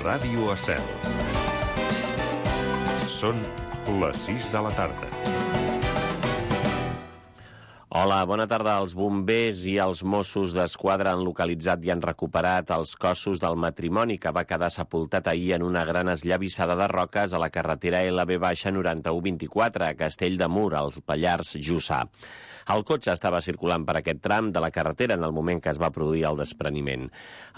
Ràdio Estel. Són les 6 de la tarda. Hola, bona tarda. Els bombers i els Mossos d'Esquadra han localitzat i han recuperat els cossos del matrimoni que va quedar sepultat ahir en una gran esllavissada de roques a la carretera LB-9124 a Castell de Mur, al Pallars Jussà. El cotxe estava circulant per aquest tram de la carretera en el moment que es va produir el despreniment.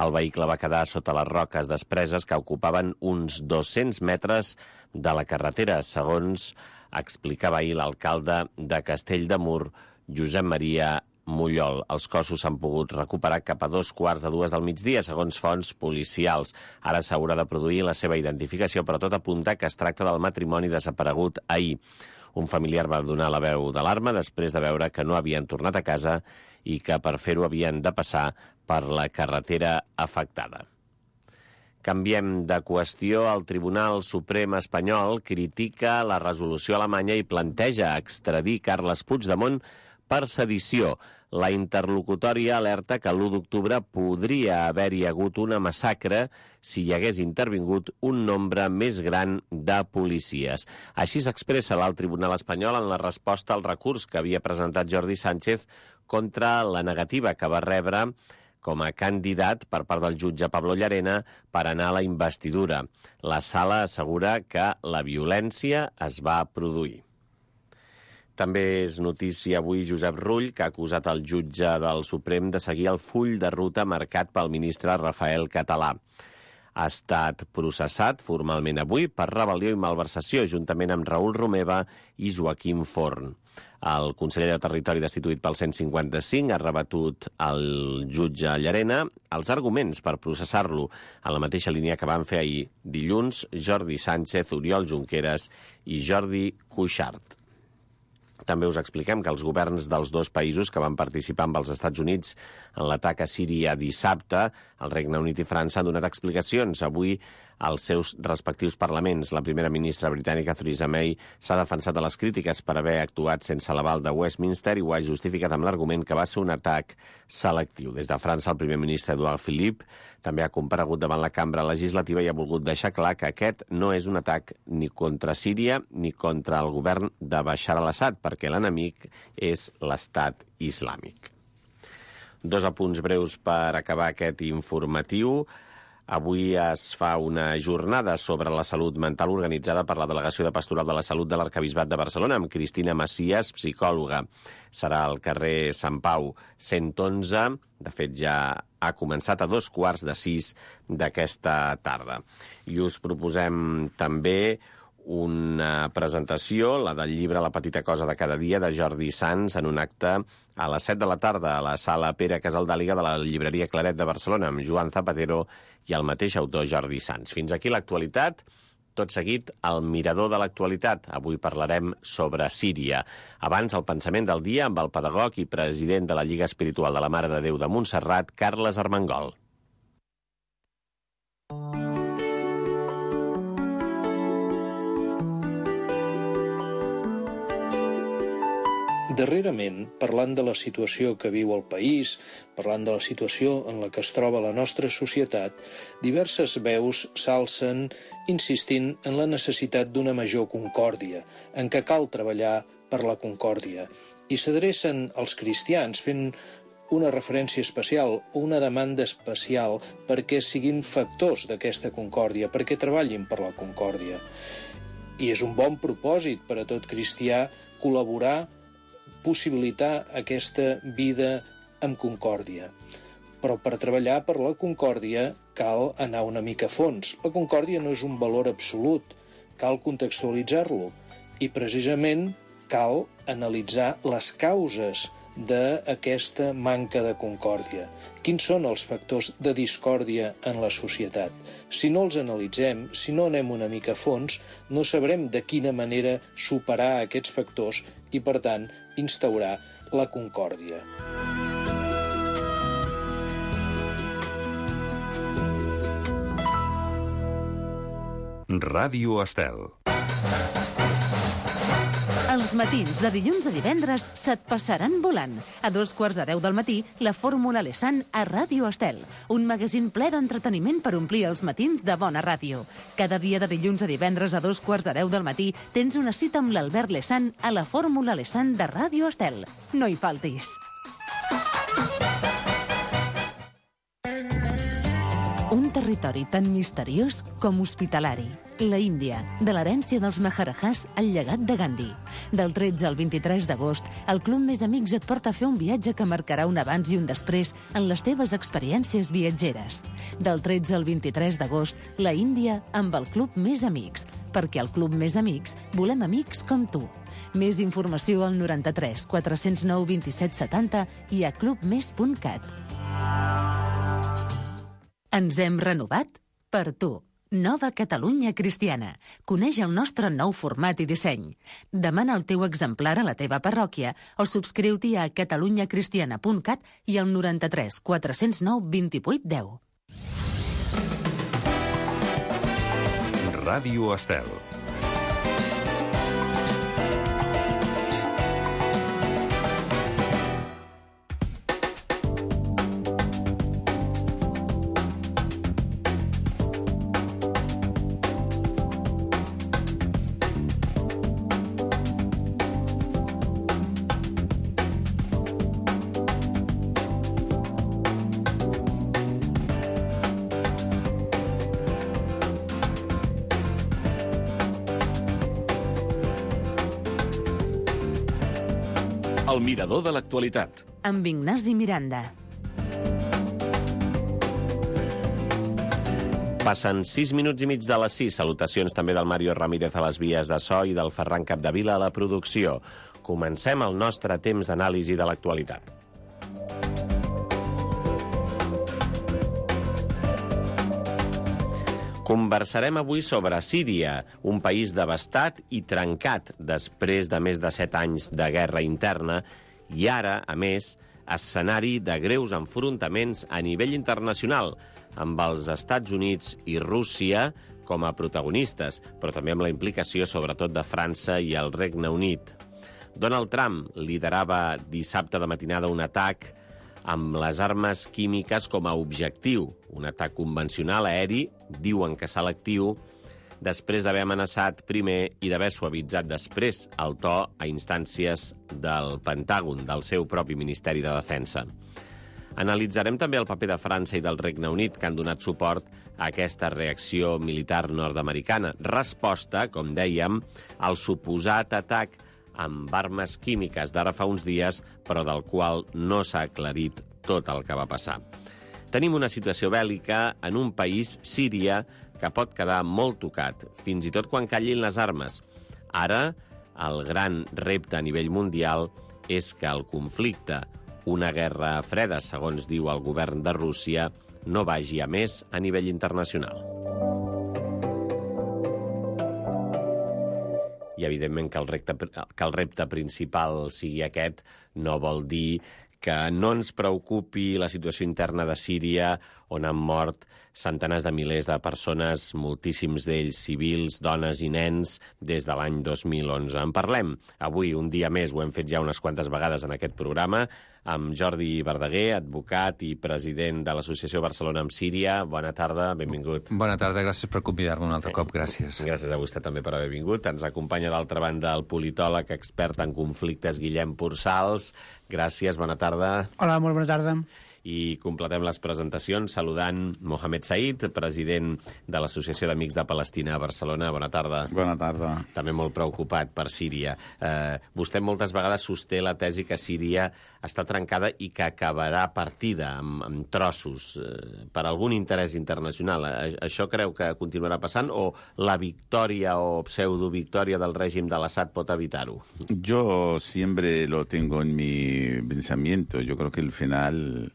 El vehicle va quedar sota les roques despreses que ocupaven uns 200 metres de la carretera, segons explicava ahir l'alcalde de Castell de Mur, Josep Maria Mullol. Els cossos s'han pogut recuperar cap a 2:15 del migdia, segons fonts policials. Ara s'haurà de produir la seva identificació, però tot apunta que es tracta del matrimoni desaparegut ahir. Un familiar va donar la veu d'alarma després de veure que no havien tornat a casa i que per fer-ho havien de passar per la carretera afectada. Canviem de qüestió. El Tribunal Suprem espanyol critica la resolució alemanya i planteja extradir Carles Puigdemont per sedició. La interlocutòria alerta que l'1 d'octubre podria haver-hi hagut una massacre si hi hagués intervingut un nombre més gran de policies. Així s'expressa l'alt tribunal espanyol en la resposta al recurs que havia presentat Jordi Sánchez contra la negativa que va rebre com a candidat per part del jutge Pablo Llarena per anar a la investidura. La sala assegura que la violència es va produir. També és notícia avui Josep Rull, que ha acusat el jutge del Suprem de seguir el full de ruta marcat pel ministre Rafael Català. Ha estat processat formalment avui per rebel·lió i malversació, juntament amb Raül Romeva i Joaquim Forn. El conseller de Territori destituït pel 155 ha rebatut al jutge Llarena els arguments per processar-lo en la mateixa línia que van fer ahir dilluns Jordi Sánchez, Oriol Junqueras i Jordi Cuixart. També us expliquem que els governs dels dos països que van participar amb els Estats Units en l'atac a Síria dissabte, el Regne Unit i França, han donat explicacions avui als seus respectius parlaments. La primera ministra britànica, Theresa May, s'ha defensat de les crítiques per haver actuat sense l'aval de Westminster i ho ha justificat amb l'argument que va ser un atac selectiu. Des de França, el primer ministre Edouard Philippe també ha comparegut davant la cambra legislativa i ha volgut deixar clar que aquest no és un atac ni contra Síria ni contra el govern de Bashar al-Assad, perquè l'enemic és l'Estat Islàmic. Dos apunts breus per acabar aquest informatiu. Avui es fa una jornada sobre la salut mental organitzada per la Delegació de Pastoral de la Salut de l'Arquebisbat de Barcelona amb Cristina Macias, psicòloga. Serà al carrer Sant Pau 111. De fet, ja ha començat a 5:15 d'aquesta tarda. I us proposem també una presentació, la del llibre La petita cosa de cada dia, de Jordi Sans, en un acte a les 7 de la tarda a la sala Pere Casaldàliga de la llibreria Claret de Barcelona, amb Joan Zapatero i el mateix autor Jordi Sans. Fins aquí l'actualitat. Tot seguit, el mirador de l'actualitat. Avui parlarem sobre Síria. Abans, el pensament del dia amb el pedagog i president de la Lliga Espiritual de la Mare de Déu de Montserrat, Carles Armengol. Darrerament, parlant de la situació que viu el país, parlant de la situació en la que es troba la nostra societat, diverses veus s'alcen insistint en la necessitat d'una major concòrdia, en què cal treballar per la concòrdia. I s'adrecen als cristians fent una referència especial o una demanda especial perquè siguin factors d'aquesta concòrdia, perquè treballin per la concòrdia. I és un bon propòsit per a tot cristià col·laborar, possibilitar aquesta vida amb concòrdia. Però per treballar per la concòrdia cal anar una mica a fons. La concòrdia no és un valor absolut, cal contextualitzar-lo i precisament cal analitzar les causes d'aquesta manca de concòrdia. Quins són els factors de discòrdia en la societat? Si no els analitzem, si no anem una mica a fons, no sabrem de quina manera superar aquests factors i, per tant, instaurar la concòrdia. Ràdio Estel. Els matins de dilluns a divendres se't passaran volant. A 2:15 del matí, la Fórmula Lesan a Ràdio Estel. Un magazín ple d'entreteniment per omplir els matins de bona ràdio. Cada dia de dilluns a divendres a 2:15 del matí tens una cita amb l'Albert Lesan a la Fórmula Lesan de Ràdio Estel. No hi faltis. Un territori tan misteriós com hospitalari. La Índia, de l'herència dels Maharajahs al llegat de Gandhi. Del 13 al 23 d'agost, el Club Més Amics et porta a fer un viatge que marcarà un abans i un després en les teves experiències viatgeres. Del 13 al 23 d'agost, la Índia amb el Club Més Amics. Perquè al Club Més Amics volem amics com tu. Més informació al 93 409 27 70 i a clubmes.cat. Ens hem renovat per tu. Nova Catalunya Cristiana. Coneix el nostre nou format i disseny. Demana el teu exemplar a la teva parròquia o subscriu-t'hi a catalunyacristiana.cat i al 93 409 28 10. Ràdio Estel. El mirador de l'actualitat. Amb Ignasi Miranda. Passen 6 minuts i mig de les 6. Salutacions també del Mario Ramírez a les vies de so i del Ferran Capdevila a la producció. Comencem el nostre temps d'anàlisi de l'actualitat. Conversarem avui sobre Síria, un país devastat i trencat després de més de 7 anys de guerra interna i ara, a més, escenari de greus enfrontaments a nivell internacional, amb els Estats Units i Rússia com a protagonistes, però també amb la implicació sobretot de França i el Regne Unit. Donald Trump liderava dissabte de matinada un atac amb les armes químiques com a objectiu, un atac convencional aeri, diuen que selectiu, després d'haver amenaçat primer i d'haver suavitzat després el to a instàncies del Pentàgon, del seu propi Ministeri de Defensa. Analitzarem també el paper de França i del Regne Unit, que han donat suport a aquesta reacció militar nord-americana. Resposta, com dèiem, al suposat atac amb armes químiques d'ara fa uns dies, però del qual no s'ha aclarit tot el que va passar. Tenim una situació bèl·lica en un país, Síria, que pot quedar molt tocat, fins i tot quan callin les armes. Ara, el gran repte a nivell mundial és que el conflicte, una guerra freda, segons diu el govern de Rússia, no vagi a més a nivell internacional. I, evidentment, que el repte principal sigui aquest no vol dir que no ens preocupi la situació interna de Síria, on han mort centenars de milers de persones, moltíssims d'ells civils, dones i nens, des de l'any 2011. En parlem avui, un dia més, ho hem fet ja unes quantes vegades en aquest programa, amb Jordi Verdaguer, advocat i president de l'Associació Barcelona amb Síria. Bona tarda, benvingut. Bona tarda, gràcies per convidar-me un altre cop, gràcies. Gràcies a vostè també per haver vingut. Ens acompanya d'altra banda el politòleg expert en conflictes Guillem Pursals. Gràcies, bona tarda. Hola, molt bona tarda. I completem les presentacions saludant Mohamed Said, president de l'Associació d'Amics de Palestina a Barcelona. Bona tarda. Bona tarda. També molt preocupat per Síria. Vostè moltes vegades sosté la tesi que Síria està trencada i que acabarà partida amb trossos per algun interès internacional. Això creu que continuarà passant o la victòria o pseudo-victòria del règim de l'Assad pot evitar-ho? Yo siempre lo tengo en mi pensamiento. Yo creo que al final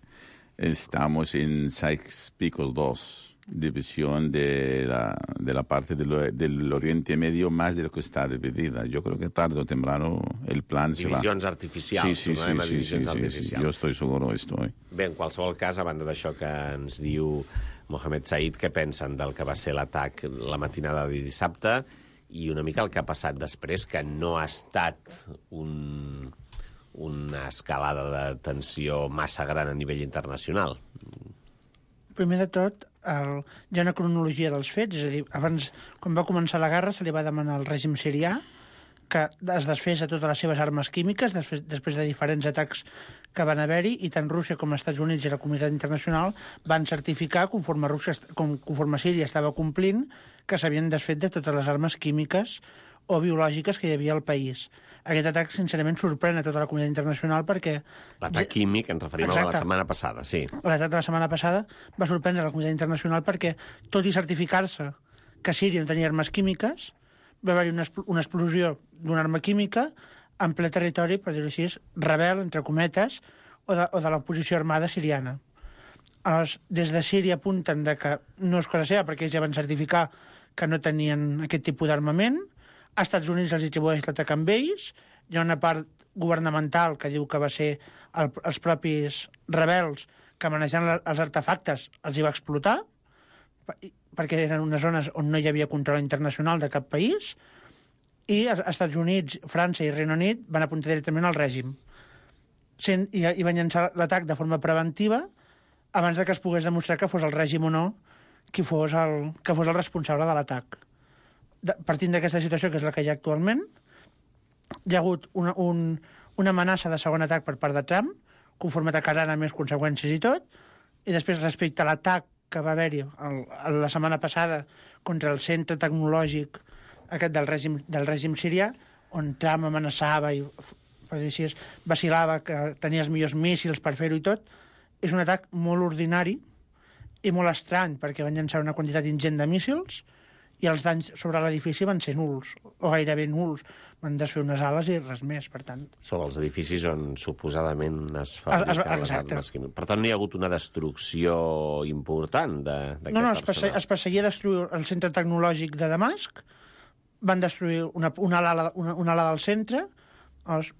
estamos en Sykes-Picot 2, división de la parte del Oriente Medio más de lo que está dividida. Yo creo que tarde o temprano el plan se va... Divisions artificials. Sí, yo estoy seguro estoy. Bé, en qualsevol cas, a banda d'això que ens diu Mohamed Said, què pensen del que va ser l'atac la matinada de dissabte I una mica el que ha passat després, que no ha estat una escalada de tensió massa gran a nivell internacional. Primer de tot, hi ha una cronologia dels fets, és a dir, abans, quan va començar la guerra, se li va demanar al règim sirià que es desfés de totes les seves armes químiques després de diferents atacs que van haver-hi, i tant Rússia com els Estats Units i la comunitat internacional van certificar, conforme Síria estava complint, que s'havien desfet de totes les armes químiques o biològiques que hi havia al país. Aquest atac, sincerament, sorprèn a tota la comunitat internacional perquè... L'atac químic, ens referim a la setmana passada, sí. L'atac de la setmana passada va sorprendre la comunitat internacional perquè, tot i certificar-se que Síria no tenia armes químiques, va haver-hi una explosió d'una arma química en ple territori, per dir-ho així, rebel, entre cometes, o de l'oposició armada siriana. Aleshores, des de Síria apunten que no és cosa seva, perquè ells ja van certificar que no tenien aquest tipus d'armament. Als Estats Units els atribueix l'atac amb ells. Hi ha una part governamental que diu que va ser els propis rebels que, manejant els artefactes, els hi va explotar, perquè eren unes zones on no hi havia control internacional de cap país, i els Estats Units, França i Regne Unit van apuntar directament al règim. I van llançar l'atac de forma preventiva abans que es pogués demostrar que fos el règim o no que fos el responsable de l'atac. Partint d'aquesta situació, que és la que hi ha actualment, hi ha hagut una amenaça de segon atac per part de Trump, conforme atacaran amb més conseqüències i tot, i després, respecte a l'atac que va haver-hi la setmana passada contra el centre tecnològic aquest del règim sirià, on Trump amenaçava i, per dir així, vacil·lava que tenia els millors míssils per fer-ho i tot, és un atac molt ordinari i molt estrany, perquè van llançar una quantitat ingent de míssils i els danys sobre l'edifici van ser nuls, o gairebé nuls. Van desfer unes ales i res més, per tant. Sobre els edificis on suposadament es fabriquen les armes químiques. Per tant, no hi ha hagut una destrucció important d'aquest arsenal. Es perseguia destruir el centre tecnològic de Damasc, van destruir una ala del centre,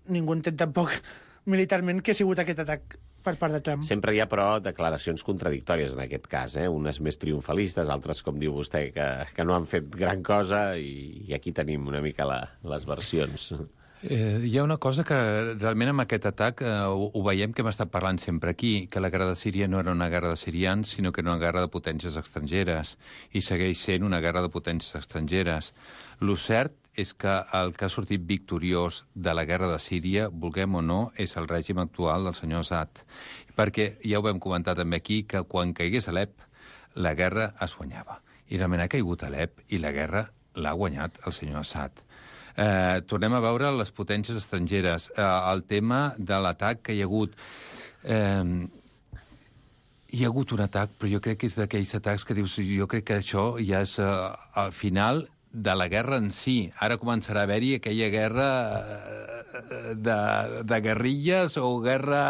ningú entén tampoc militarment que ha sigut aquest atac per part de Trump. Sempre hi ha, però, declaracions contradictòries en aquest cas, unes més triomfalistes, altres, com diu vostè, que no han fet gran cosa, i aquí tenim una mica les versions. Hi ha una cosa que realment amb aquest atac ho veiem que hem estat parlant sempre aquí, que la guerra de Síria no era una guerra de sirians, sinó que era una guerra de potències estrangeres, i segueix sent una guerra de potències estrangeres. Lo cert és que el que ha sortit victoriós de la guerra de Síria, vulguem o no, és el règim actual del senyor Assad. Perquè ja ho vam comentar també aquí, que quan caigués Alep, la guerra es guanyava. I realment ha caigut Alep i la guerra l'ha guanyat el senyor Assad. Tornem a veure les potències estrangeres. El tema de l'atac que hi ha hagut... Hi ha hagut un atac, però jo crec que és d'aquells atacs que dius, jo crec que això ja és al final de la guerra en si. Ara començarà a haver-hi aquella guerra de guerrilles o guerra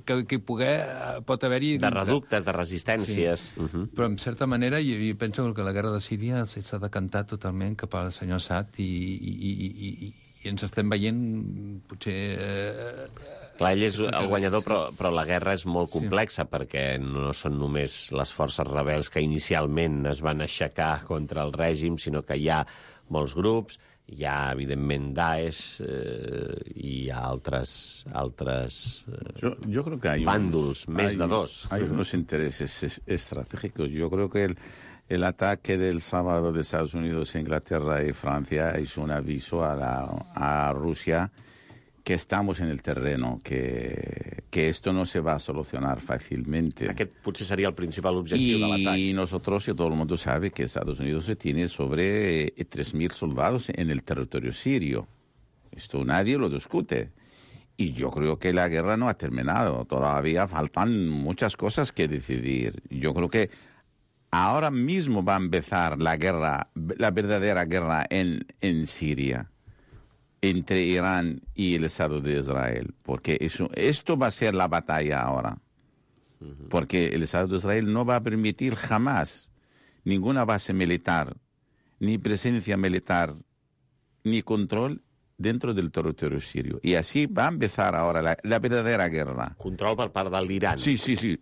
que pot haver-hi... De reductes, de resistències. Sí. Però, en certa manera, jo penso que la guerra de Síria s'ha decantat totalment cap al senyor Assad i ens estem veient, potser... Clar, ell és el guanyador, però la guerra és molt complexa, perquè no són només les forces rebels que inicialment es van aixecar contra el règim, sinó que hi ha molts grups, hi ha, evidentment, Daesh, i hi ha altres yo creo que hay bàndols, més de dos. Hay unos intereses estratégicos. Yo creo que el ataque del sábado de Estados Unidos, Inglaterra y Francia es un aviso a Rusia que estamos en el terreno, que esto no se va a solucionar fácilmente. Aquest potser seria el principal objectiu de l'atac. Y nosotros, y todo el mundo sabe que Estados Unidos tiene sobre 3.000 soldados en el territorio sirio. Esto nadie lo discute. Y yo creo que la guerra no ha terminado. Todavía faltan muchas cosas que decidir. Yo creo que ahora mismo va a empezar la guerra, la verdadera guerra en Siria, entre Irán y el Estado de Israel, porque esto va a ser la batalla ahora, porque el Estado de Israel no va a permitir jamás ninguna base militar, ni presencia militar, ni control dentro del territorio sirio. Y así va a empezar ahora la verdadera guerra. Control per part de l'Iran. Sí,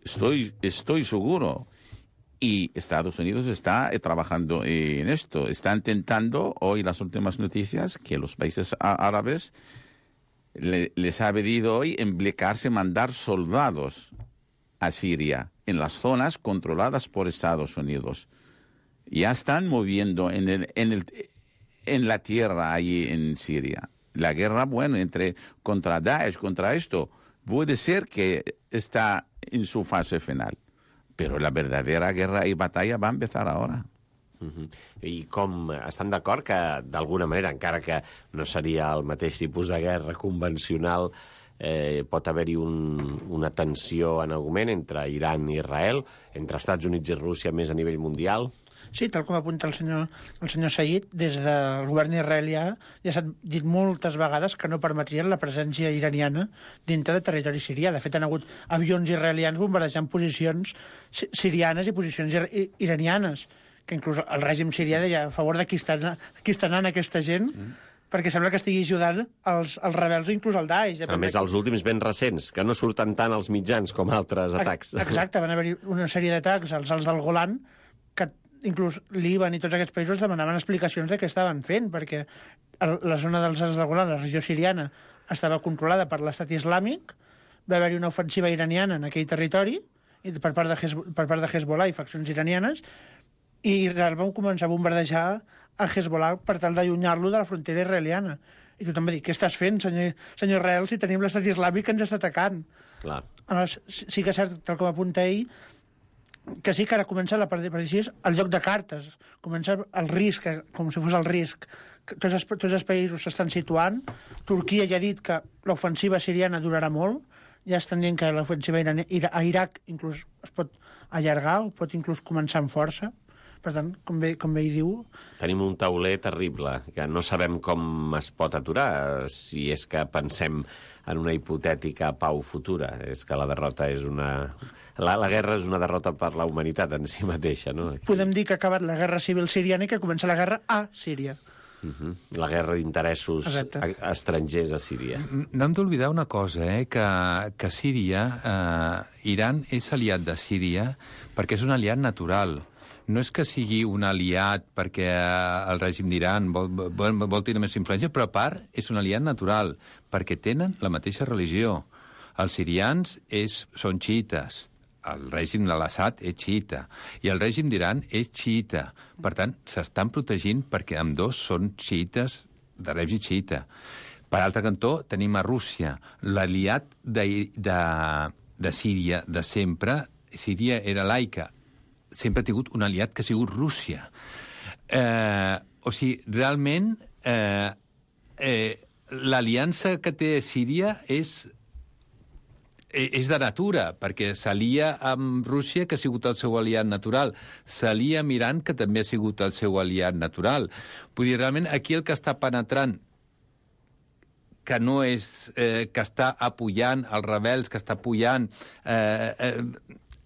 estoy seguro. Y Estados Unidos está trabajando en esto. Está intentando, hoy las últimas noticias, que los países árabes les ha pedido hoy implicarse, mandar soldados a Siria, en las zonas controladas por Estados Unidos. Ya están moviendo en la tierra ahí en Siria. La guerra, bueno, contra Daesh, contra esto, puede ser que está en su fase final. Però la verdadera guerra i batalla va empezar ahora. I com estan d'acord que, d'alguna manera, encara que no seria el mateix tipus de guerra convencional, pot haver-hi una tensió en augment entre Iran i Israel, entre Estats Units i Rússia més a nivell mundial? Sí, tal com apunta el senyor Said, des del govern israelià ja s'ha dit moltes vegades que no permetrien la presència iraniana dintre de territori sirià. De fet, han hagut avions israelians bombardejant posicions sirianes i posicions iranianes, que inclús el règim sirià deia a favor de qui està anant aquesta gent, perquè sembla que estigui ajudant els rebels o inclús el Daesh. A més, els últims ben recents, que no surten tant als mitjans com altres atacs. Exacte, van haver-hi una sèrie d'atacs als alts del Golan, que inclús Líban i tots aquests països demanaven explicacions de què estaven fent, perquè la zona dels alts del Golan, la regió siriana, estava controlada per l'estat islàmic, va haver-hi una ofensiva iraniana en aquell territori, i per part de Hezbollah i faccions iranianes, i Israel van començar a bombardejar a Hezbollah per tal d'allunyar-lo de la frontera israeliana. I tothom va dir, què estàs fent, senyor Israel, si tenim l'estat islàmic que ens està atacant? Clar. Sí que és cert, tal com apunta ell, que sí que ara comença la part el joc de cartes, comença el risc, com si fos el risc. Tots els països s'estan situant. Turquia ja ha dit que l'ofensiva siriana durarà molt, ja estan dient que l'ofensiva a Iraq inclús es pot allargar o pot inclús començar amb força. Per tant, com bé ell diu... Tenim un tauler terrible, que no sabem com es pot aturar, si és que pensem en una hipotètica pau futura. És que la derrota és la guerra és una derrota per la humanitat en si mateixa, no? Podem dir que ha acabat la guerra civil siriana i que comença la guerra a Síria. La guerra d'interessos estrangers a Síria. No hem d'oblidar una cosa, que Síria, Iran és aliat de Síria perquè és un aliat natural. No és que sigui un aliat perquè el règim d'Iran vol tenir més influència, però a part és un aliat natural, perquè tenen la mateixa religió. Els sirians són xiites, el règim de l'Assad és xiita, i el règim d'Iran és xiita. Per tant, s'estan protegint perquè ambdós són xiites de règim xiita. Per altre cantó, tenim a Rússia, l'aliat de Síria de sempre. Síria era laica, sempre ha tingut un aliat que ha sigut Rússia. O sigui, realment, l'aliança que té Síria és de natura, perquè s'alia amb Rússia, que ha sigut el seu aliat natural. S'alia amb Iran, que també ha sigut el seu aliat natural. Vull dir, realment, aquí el que està penetrant, que no és... que està apujant els rebels, que està apujant...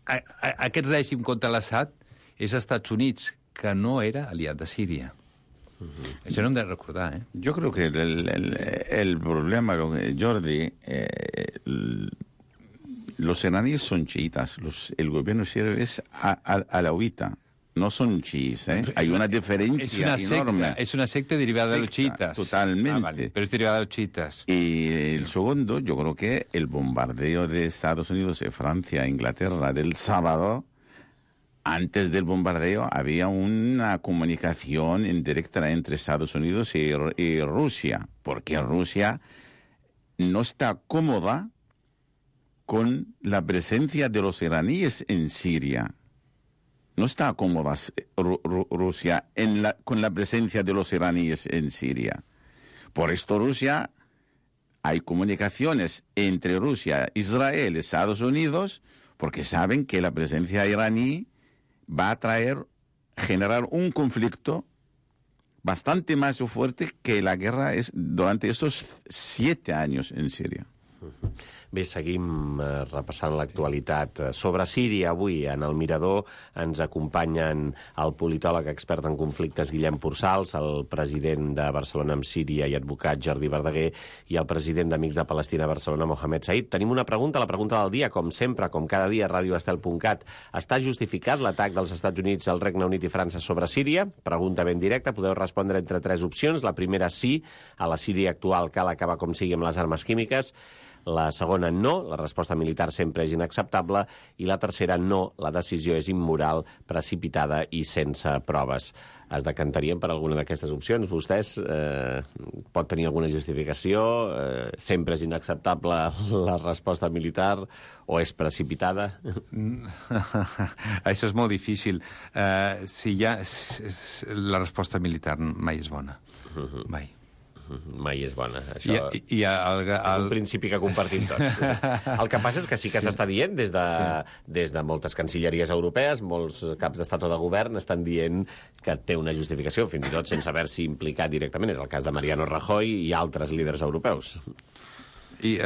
aquest règim contra l'Assad és Estats Units, que no era aliat de Síria. Això no hem de recordar, Yo creo que el problema, Jordi, los iraníes son chiitas, el gobierno sirio es alauita, no son chiíes, Hay una diferencia enorme. Es una secta derivada de los chiitas. Totalmente. Vale, pero es derivada de los chiitas. Y el segundo, yo creo que el bombardeo de Estados Unidos, Francia, Inglaterra del sábado, antes del bombardeo había una comunicación indirecta entre Estados Unidos y Rusia, porque Rusia no está cómoda con la presencia de los iraníes en Siria. No está cómoda Rusia con la presencia de los iraníes en Siria. Por esto Rusia, hay comunicaciones entre Rusia, Israel, Estados Unidos, porque saben que la presencia iraní va a generar un conflicto bastante más fuerte que la guerra es durante estos 7 años en Siria. Bé, seguim repassant l'actualitat. Sobre Síria, avui, en el Mirador, ens acompanyen el politòleg expert en conflictes Guillem Pursals, el president de Barcelona amb Síria i advocat Jordi Verdaguer i el president d'Amics de Palestina a Barcelona, Mohamed Said. Tenim una pregunta, la pregunta del dia, com sempre, com cada dia, a radioestel.cat. Està justificat l'atac dels Estats Units, el Regne Unit i França sobre Síria? Pregunta ben directa, podeu respondre entre 3 opcions. La primera, sí, a la Síria actual cal acabar com sigui amb les armes químiques. La segona, no, la resposta militar sempre és inacceptable. I la tercera, no, la decisió és immoral, precipitada i sense proves. Es decantarien per alguna d'aquestes opcions? Vostès pot tenir alguna justificació? Sempre és inacceptable la resposta militar o és precipitada? Això és molt difícil. La resposta militar mai és bona. Mai. Mai és bona. Això és un principi que compartim tots. El que passa és que sí que s'està dient des de moltes cancilleries europees, molts caps d'estat o de govern estan dient que té una justificació, fins i tot sense haver-s'hi implicat directament. És el cas de Mariano Rajoy i altres líders europeus. I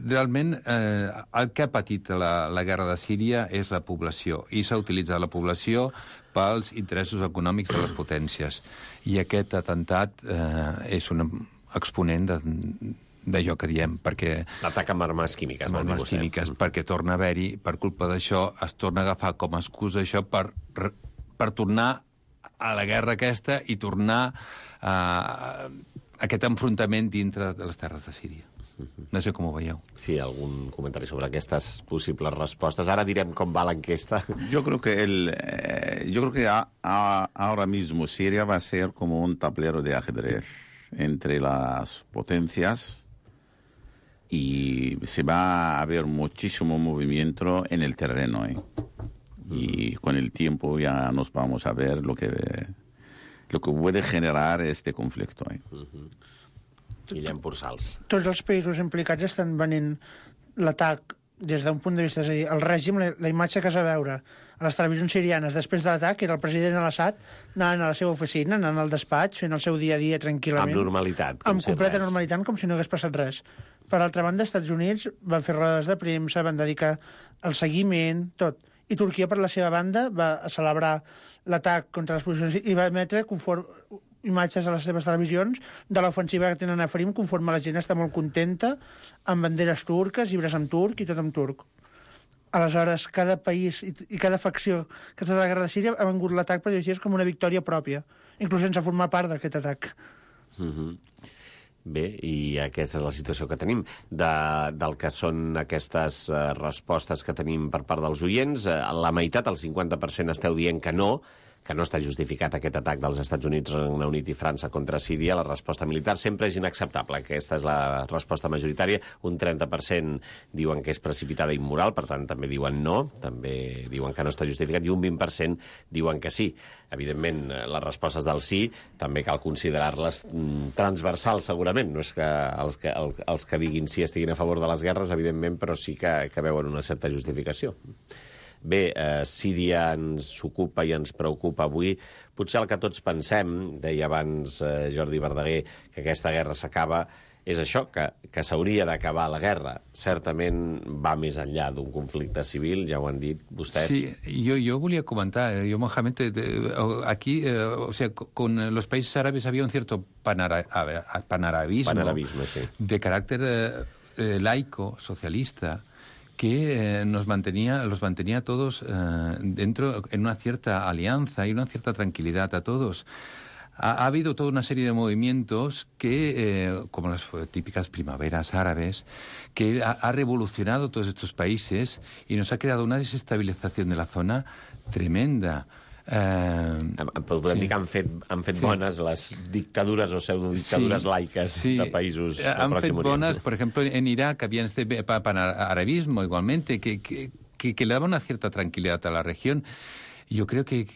realment el que ha patit la guerra de Síria és la població, i s'ha utilitzat la població pels interessos econòmics de les potències. I aquest atemptat és un exponent d'allò que diem, perquè... L'atac amb armes químiques. Amb armes químiques, perquè torna a haver-hi, per culpa d'això, es torna a agafar com a excusa això per tornar a la guerra aquesta i tornar a aquest enfrontament dintre de les terres de Síria. No sé com ho veieu. Sí, algun comentari sobre aquestes possibles respostes. Ara direm com va l'enquesta. Yo creo que ahora mismo Siria va a ser como un tablero de ajedrez entre las potencias y se va a ver muchísimo movimiento en el terreno. Y con el tiempo ya nos vamos a ver lo que puede generar este conflicto. Guillem Pursals. Tots els països implicats estan venint l'atac des d'un punt de vista, és a dir, el règim, la imatge que es va veure a les televisions sirianes després de l'atac era el president al-Assad anant a la seva oficina, anant al despatx, fent el seu dia a dia tranquil·lament. Amb normalitat. Amb completa normalitat, com si no hagués passat res. Per altra banda, els Estats Units van fer rodes de premsa, van dedicar el seguiment, tot. I Turquia, per la seva banda, va celebrar l'atac contra les posicions i va emetre imatges a les seves televisions de l'ofensiva que tenen a Afrin, conforme la gent està molt contenta, amb banderes turques, llibres en turc i tot en turc. Aleshores, cada país i cada facció que està a la guerra de Síria ha vengut l'atac, per dir-ho així, com una victòria pròpia, inclús sense formar part d'aquest atac. Bé, i aquesta és la situació que tenim. Del que són aquestes respostes que tenim per part dels oients, la meitat, el 50%, esteu dient que no està justificat aquest atac dels Estats Units, Regne Unit i França contra Síria. La resposta militar sempre és inacceptable. Aquesta és la resposta majoritària. Un 30% diuen que és precipitada i immoral, per tant, també diuen no, també diuen que no està justificat, i un 20% diuen que sí. Evidentment, les respostes del sí també cal considerar-les transversals, segurament. No és que els que diguin sí estiguin a favor de les guerres, evidentment, però sí que veuen una certa justificació. Bé, Síria ens ocupa i ens preocupa avui. Potser el que tots pensem, deia abans Jordi Verdaguer, que aquesta guerra s'acaba, és això, que s'hauria d'acabar la guerra. Certament va més enllà d'un conflicte civil, ja ho han dit vostès. Sí, yo volia comentar, Mohamed, aquí, o sea, con los países árabes había un cierto panarabismo sí, de carácter laico, socialista, que los mantenía a todos dentro, en una cierta alianza y una cierta tranquilidad a todos. Ha habido toda una serie de movimientos que, como las típicas primaveras árabes, que ha revolucionado todos estos países y nos ha creado una desestabilización de la zona tremenda. Podem dir que han fet bones les dictadures o pseudodictadures laiques de països del han fet Pròxim bones, Orient. por ejemplo, en Irak había este panarabismo igualmente, que le daba una cierta tranquilidad a la región. Yo creo que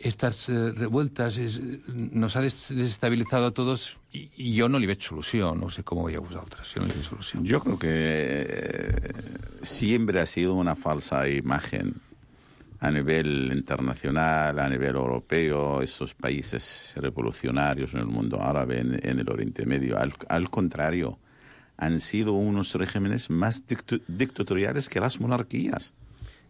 estas revueltas nos ha desestabilizado a todos y jo no li veig solució. No sé com ho veieu vosaltres. Jo no li veig solució. Yo creo que siempre ha sido una falsa imagen a nivel internacional, a nivel europeo, esos países revolucionarios en el mundo árabe, en el Oriente Medio. Al contrario, han sido unos regímenes más dictatoriales que las monarquías.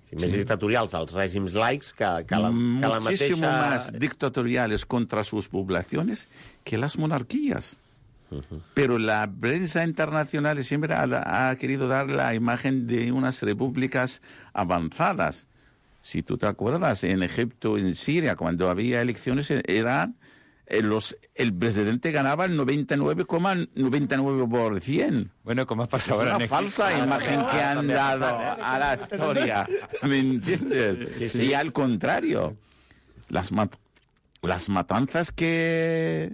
Sí, més dictatorials els règims laics que la mateixa... Muchísimo más dictatoriales contra sus poblaciones que las monarquías. Pero la prensa internacional siempre ha querido dar la imagen de unas repúblicas avanzadas. Si tú te acuerdas, en Egipto, en Siria, cuando había elecciones, el presidente ganaba el 99,99%. Bueno, como ha pasado ahora. Es una falsa imagen que han dado a la historia, ¿me entiendes? Sí. Y al contrario, las matanzas que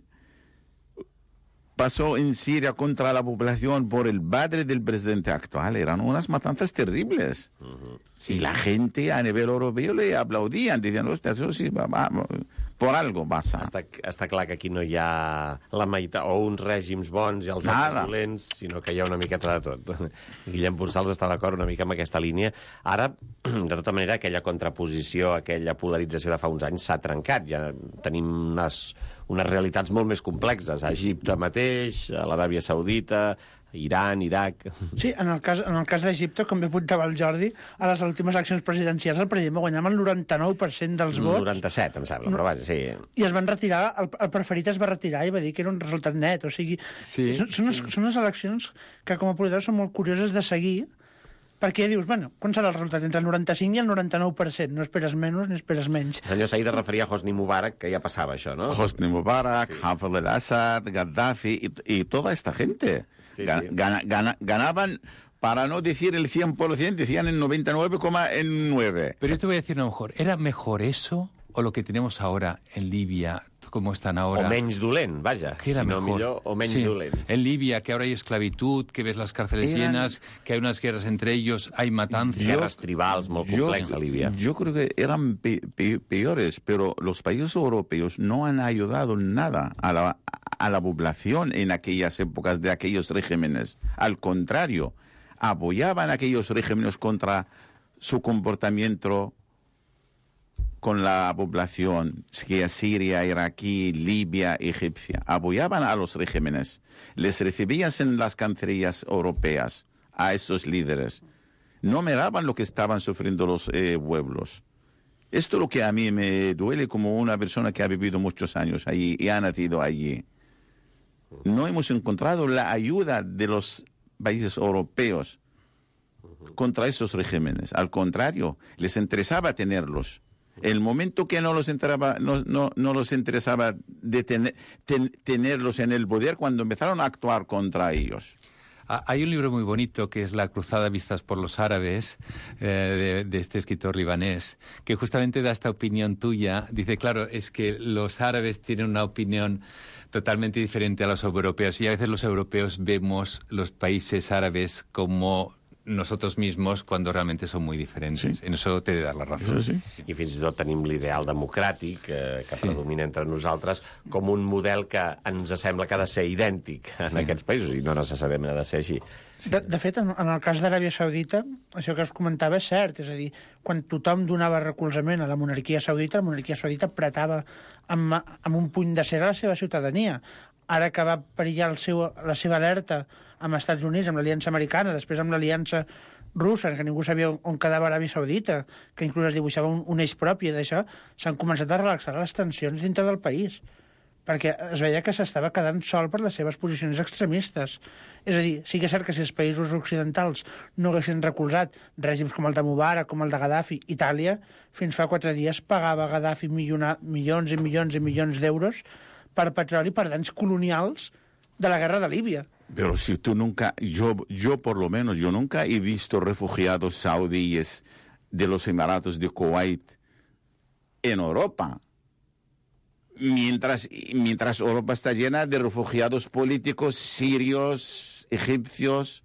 pasó en Siria contra la población por el padre del presidente actual eran unas matanzas terribles. Y la gente a nivel europeo le aplaudían, diciendo, hostia, eso sí, por algo pasa. Està clar que aquí no hi ha la meitat, o uns règims bons i els altres dolents, sinó que hi ha una miqueta de tot. Guillem Ponsals està d'acord una mica amb aquesta línia. Ara, de tota manera, aquella contraposició, aquella polarització de fa uns anys s'ha trencat. Ja tenim unes realitats molt més complexes. A Egipte mateix, a l'Aràbia Saudita, Iran, Iraq... Sí, en el cas d'Egipte, com bé apuntava el Jordi, a les últimes eleccions presidencials el president va guanyar amb el 99% dels vots. 97, em sembla, però vaja, sí. I es van retirar, el preferit es va retirar i va dir que era un resultat net. O sigui, són unes eleccions que com a polítics són molt curioses de seguir, perquè dius, bueno, quan serà el resultat? Entre el 95 i el 99%. No esperes menys ni esperes menys. El senyor Saïd es referia a Hosni Mubarak, que ja passava això, ¿no? Hosni Mubarak, Hafez al-Assad, Gaddafi y toda esta gente. Sí. Ganaban, para no decir el 100%, decían el 99,9%. Pero yo te voy a decir a lo mejor, ¿era mejor eso o lo que tenemos ahora en Libia, como están ahora? O menys dolent, vaja. Que era si no mejor. millor, o menys dolent. En Libia, que ahora hay esclavitud, que ves las cárceles llenas, que hay unas guerras entre ellos, hay matanzas. Guerras tribals molt complejas a Libia. Yo creo que eran peores, pero los países europeos no han ayudado nada a la población en aquellas épocas de aquellos regímenes. Al contrario, apoyaban a aquellos regímenes contra su comportamiento con la población, que Siria, iraquí, Libia, egipcia. Apoyaban a los regímenes. Les recibían en las cancillerías europeas a esos líderes. No miraban lo que estaban sufriendo los pueblos. Esto es lo que a mí me duele como una persona que ha vivido muchos años allí y ha nacido allí. No hemos encontrado la ayuda de los países europeos contra esos regímenes. Al contrario, les interesaba tenerlos. El momento que no los interesaba tenerlos en el poder, cuando empezaron a actuar contra ellos. Hay un libro muy bonito que es La cruzada vistas por los árabes, de este escritor libanés, que justamente da esta opinión tuya. Dice, claro, es que los árabes tienen una opinión totalmente diferente a los europeos, y a veces los europeos vemos los países árabes como nosotros mismos cuando realmente son muy diferentes. Sí. En eso te he de dar la razón. Eso sí. I fins i tot tenim l'ideal democràtic que predomina entre nosaltres com un model que ens sembla que ha de ser idèntic en aquests països, i no necessàriament ha de ser així. De fet, en el cas d'Aràbia Saudita, això que us comentava és cert. És a dir, quan tothom donava recolzament a la monarquia saudita apretava amb un puny de cera a la seva ciutadania. Ara que va perillar la seva alerta amb els Estats Units, amb l'aliança americana, després amb l'aliança russa, que ningú sabia on quedava Aràbia Saudita, que inclús es dibuixava un eix propi d'això, s'han començat a relaxar les tensions dintre del país, perquè es veia que s'estava quedant sol per les seves posicions extremistes. És a dir, sí que és cert que si els països occidentals no haguessin recolzat règims com el de Mubarak, com el de Gaddafi, Itàlia, fins fa 4 dies pagava a Gaddafi milions i milions i milions d'euros per petroli, per danys colonials de la guerra de Libia. Pero si tú nunca, yo por lo menos, yo nunca he visto refugiados saudíes de los Emiratos de Kuwait en Europa. Mientras Europa está llena de refugiados políticos sirios, egipcios,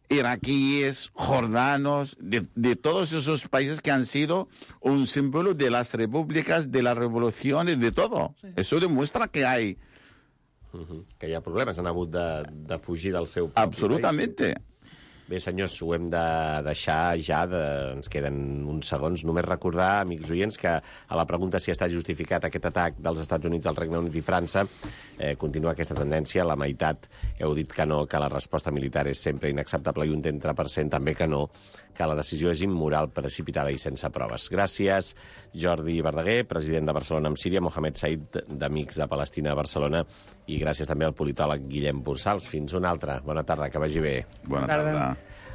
iraquíes, jordanos, de todos esos países que han sido un símbolo de las repúblicas, de las revoluciones, de todo. Sí. Eso demuestra que hay... Que hi ha problemes, han hagut de fugir del seu propi Absolutamente. país. Bé, senyors, ho hem de deixar ja, ens queden uns segons. Només recordar, amics oients, que a la pregunta si està justificat aquest atac dels Estats Units al Regne Unit i França, continua aquesta tendència. La meitat heu dit que no, que la resposta militar és sempre inacceptable i un 30% també que no, que la decisió és immoral, precipitada i sense proves. Gràcies, Jordi Verdaguer, president de Barcelona amb Síria, Mohamed Said, d'Amics de Palestina a Barcelona, i gràcies també al politòleg Guillem Bursals. Fins una altra. Bona tarda, que vagi bé. Bona tarda.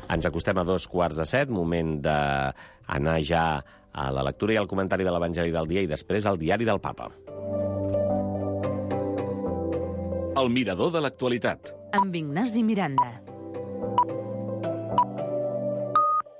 Ens acostem a 2:15, moment d'anar ja a la lectura i al comentari de l'Evangeli del dia i després al diari del Papa. El mirador de l'actualitat. Amb Ignasi Miranda.